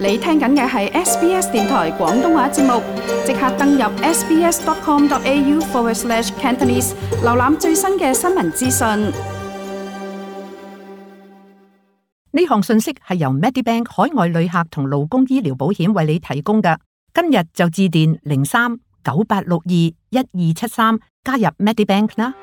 你聽緊嘅係 SBS 電台廣東話節目，即刻登入 sbs.com.au/Cantonese 瀏覽最新嘅新聞資訊。呢項信息係由 Medibank 海外旅客同勞工醫療保險為你提供嘅。今日就致電03-9862-1273加入 Medibank 啦。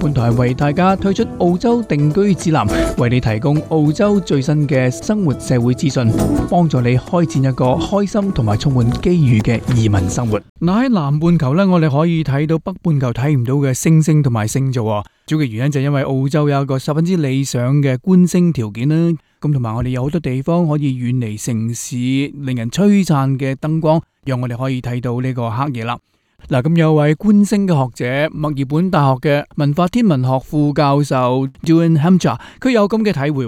本台為大家推出澳洲定居指南，為你提供澳洲最新嘅生活社會資訊，幫助你開展一個開心同埋充滿機遇嘅移民生活。嗱，喺南半球呢，我哋可以睇到北半球睇唔到嘅星星同埋星座。主要嘅原因就係因為澳洲有一個十分之理想嘅觀星條件啦。咁同埋我哋有好多地方可以遠離城市，令人璀璨嘅燈光，讓我哋可以睇到呢個黑夜啦。嗱，咁有位觀星嘅學者，墨爾本大學嘅文化天文學副教授 Julian Hampshire， 佢有咁嘅體會。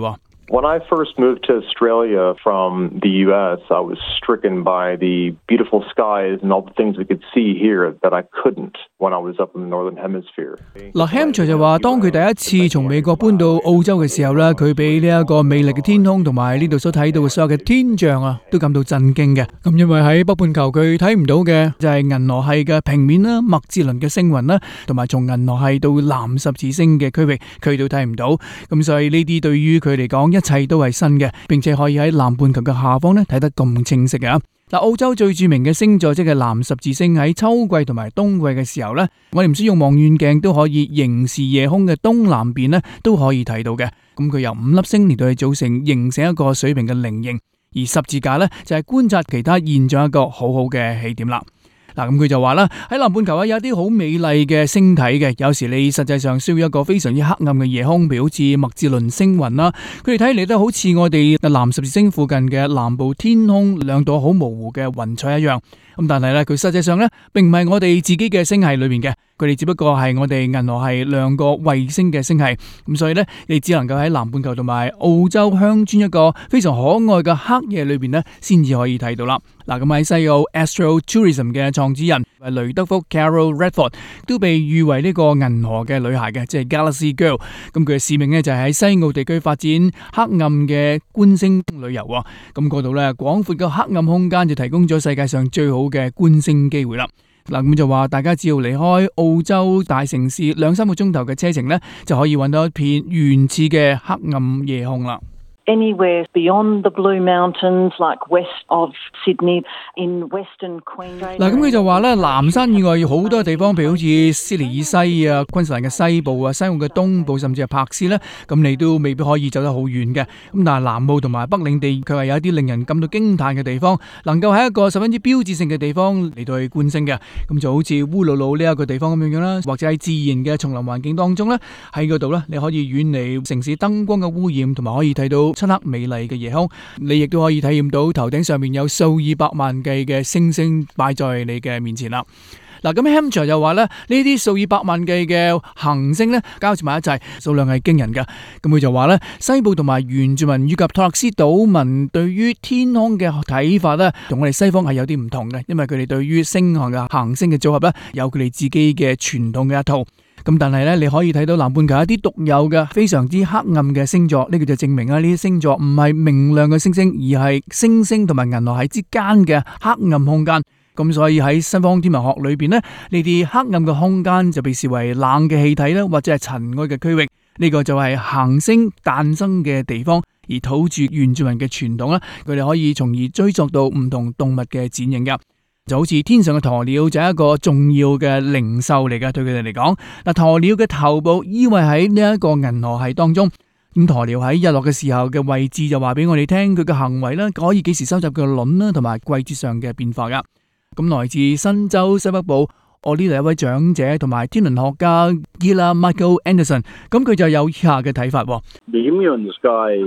When I first moved to Australia from the US, I was stricken by the beautiful skies and all the things we could see here that I couldn't when I was up in the Northern Hemisphere. 嗱 Hampshire 就話，當佢第一次從美國搬到澳洲嘅時候咧，佢俾呢一個美麗嘅天空同埋呢度所睇到嘅所有嘅天象啊，都感到震驚嘅。咁因為喺北半球佢睇唔到嘅就係銀河系嘅平面啦、麥哲倫嘅星雲啦，同埋從銀河系到藍十字星嘅區域，佢都睇唔到。咁所以呢啲對於佢嚟講，一切都係新嘅，並且可以喺南半球嘅下方咧睇得咁清晰嘅。嗱，澳洲最著名嘅星座即係藍十字星，喺秋季同埋冬季嘅時候咧，我哋唔使用望遠鏡都可以凝視夜空嘅東南邊咧，都可以睇到嘅。咁佢由5粒星嚟到去組成，形成一個水平嘅菱形，而十字架咧就係觀察其他現象一個好好嘅起點啦。嗱，咁佢就話啦，喺南半球有啲好美麗嘅星體嘅，有時你實際上需要一個非常之黑暗嘅夜空，譬如好似麥哲倫星雲啦，佢哋睇嚟都好似我哋藍十字星附近嘅南部天空兩朵好模糊嘅雲彩一樣。咁但係咧，佢實際上咧並唔係我哋自己嘅星系裏面嘅，佢哋只不過係我哋銀河系兩個衛星嘅星系。咁所以咧，你只能夠喺南半球同埋澳洲鄉村一個非常可愛嘅黑夜裏邊咧，先至可以睇到啦。嗱，咁喺西澳 Astro Tourism 嘅創始人雷德福 Carol Redford 都被譽為呢個銀河嘅女孩嘅，即係 Galaxy Girl。咁佢嘅使命咧就係喺西澳地區發展黑暗嘅觀星旅遊。咁嗰度咧廣闊嘅黑暗空間就提供咗世界上最好嘅觀星機會啦。嗱，咁就話大家只要離開澳洲大城市2-3個鐘頭嘅車程咧，就可以揾到一片原始嘅黑暗夜空啦。Anywhere beyond the Blue Mountains, like west of Sydney, in Western Queensland。嗱，咁佢就話咧，南山以外好多地方，譬如好似悉尼以西啊、昆士蘭嘅西部啊、西澳嘅東部，甚至係柏斯咧，咁你都未必可以走得好遠嘅。咁但係南澳同埋北領地，佢係有一啲令人感到驚嘆嘅地方，能夠喺一個十分之標誌性嘅地方嚟到去觀星嘅。咁就好似烏魯魯呢一個地方咁樣啦，或者喺自然嘅叢林環境當中咧，喺嗰度咧，你可以遠離城市燈光嘅污染，同埋可以睇到漆黑美麗嘅夜空，你亦都可以體驗到頭頂上面有數以百萬計嘅星星擺在你嘅面前啦。嗱，咁 Hampshire 就話咧，呢啲數以百萬計嘅行星咧，交織埋一齊，數量係驚人㗎。咁佢就話咧，西部同埋原住民以及托勒斯島民對於天空嘅睇法咧，同我哋西方係有啲唔同嘅，因為佢哋對於星象嘅行星嘅組合咧，有佢哋自己嘅傳統嘅一套。咁但係咧，你可以睇到南半球一啲獨有嘅非常之黑暗嘅星座，呢個就證明啊，呢啲星座唔係明亮嘅星星，而係星星同埋銀河系之間嘅黑暗空間。咁所以喺西方天文學裏邊呢，呢啲黑暗嘅空間就被視為冷嘅氣體啦，或者係塵埃嘅區域。呢個就係行星誕生嘅地方，而土著原住民嘅傳統啦，佢哋可以從而追溯到唔同動物嘅剪影噶。就好似天上嘅鴕鳥就係一個重要嘅靈獸嚟噶，對佢哋嚟講，嗱，鴕鳥嘅頭部依偎喺呢一個銀河系當中，咁鴕鳥喺日落嘅時候嘅位置就話俾我哋聽佢嘅行為啦，可以幾時收集佢嘅卵啦，同埋季節上嘅變化噶。咁來自新州西北部我呢度一位長者同埋天文學家 Gila Michael Anderson， 咁佢就有以下嘅睇法。The Emu in the sky,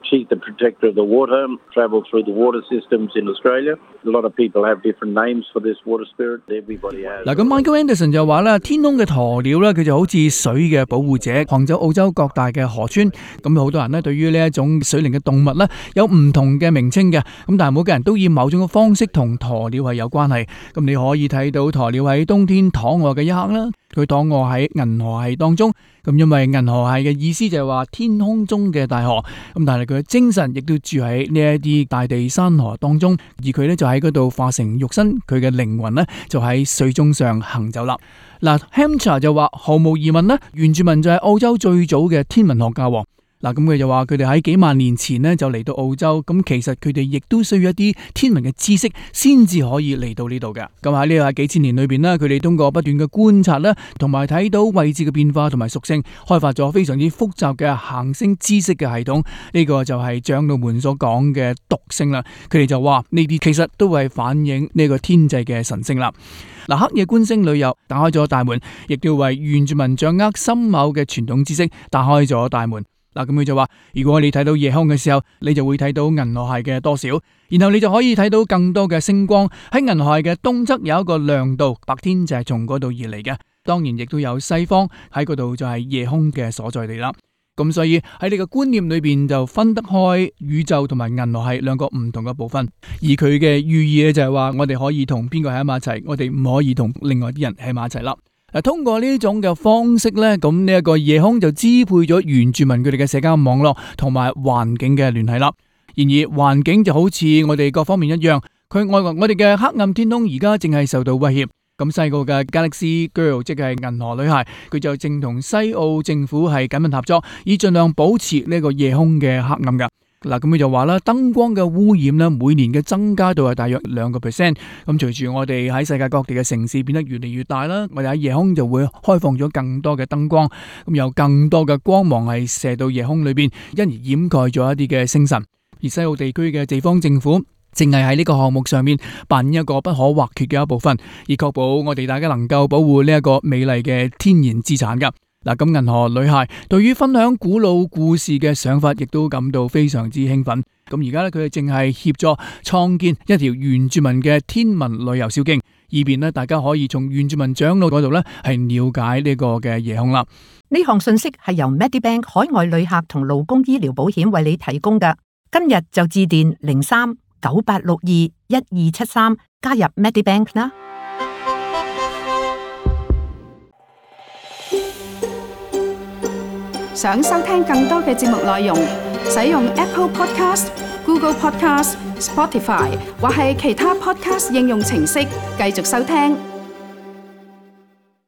she's the protector of the water, travel through the water systems in Australia. A lot of people have different names for this water spirit. Everybody has. 嗱，咁 Michael Anderson 就話啦，天空嘅鴕鳥咧，佢就好似水嘅保護者，橫走澳洲各大嘅河川。咁好多人咧，對於呢一種水靈嘅動物咧，有唔同嘅名稱嘅。咁但係每個人都以某種嘅方式同鴕鳥係有關係。咁你可以睇到鴕鳥喺東通天躺臥嘅一刻啦。佢躺臥喺銀河系當中，咁因為銀河系嘅意思就係話天空中嘅大河，咁但係佢嘅精神亦都住喺呢一啲大地山河當中，而佢呢就喺嗰度化成肉身，佢嘅靈魂呢就喺水中上行走啦。嗱 Hampshire 就話毫無疑問呢，原住民就係澳洲最早嘅天文學家。嗱，咁佢就話佢哋喺幾萬年前呢就嚟到澳洲，咁其實佢哋亦都需要一啲天文嘅知識先至可以嚟到呢度嘅。咁喺呢個幾千年裏邊呢，佢哋通過不斷嘅觀察啦，同埋睇到位置嘅變化同埋屬性，開發咗非常之複雜嘅行星知識嘅系統。呢個就係長老們所講嘅讀星啦。佢哋就話呢啲其實都係反映呢個天際嘅神星啦。嗱，黑夜觀星旅遊打開咗大門，亦都為原住民掌握深厚嘅傳統知識打開咗大門。嗱，咁佢就話，如果你睇到夜空嘅時候，你就會睇到銀河系嘅多少，然後你就可以睇到更多嘅星光。喺銀河系嘅東側有一個亮度，白天就係從嗰度而嚟嘅。當然亦都有西方喺嗰度就係夜空嘅所在地啦。咁所以喺你嘅觀念裏邊就分得開宇宙同埋銀河系兩個唔同嘅部分，而佢嘅寓意咧就係話我哋可以同邊個喺埋一齊，我哋唔可以同另外啲人喺埋一齊啦。通過呢種嘅方式呢，咁呢一個夜空就支配咗原住民佢哋嘅社交網絡同埋環境嘅聯繫啦。然而環境就好似我哋各方面一樣，我哋嘅黑暗天空而家正係受到威脅。咁細個嘅 Galaxy Girl 即係銀河女孩，佢就正同西澳政府係緊密合作，以盡量保持呢個夜空嘅黑暗噶。嗱，咁佢就話啦，燈光嘅污染呢，每年嘅增加度係大約2%。咁隨住我哋喺世界各地嘅城市變得越嚟越大啦，我哋喺夜空就會開放咗更多嘅燈光，咁有更多嘅光芒係射到夜空裏邊，因而掩蓋咗一啲嘅星辰。而西澳地區嘅地方政府淨係喺呢個項目上面扮演一個不可或缺嘅一部分，以確保我哋大家能夠保護呢一個美麗嘅天然資產噶。嗱，咁銀河女孩對於分享古老故事嘅想法，亦都感到非常之興奮。咁而家咧，佢哋正係協助創建一條原住民嘅天文旅遊小徑，以便咧大家可以從原住民長老嗰度咧係了解呢個嘅夜空啦。呢項信息係由 Medibank 海外旅客同勞工醫療保險為你提供嘅。今日就致電03-9862-1273加入 Medibank 啦。想收聽更多嘅節目內容，使用 Apple Podcast、Google Podcast、Spotify 或係其他 Podcast 應用程式繼續收聽。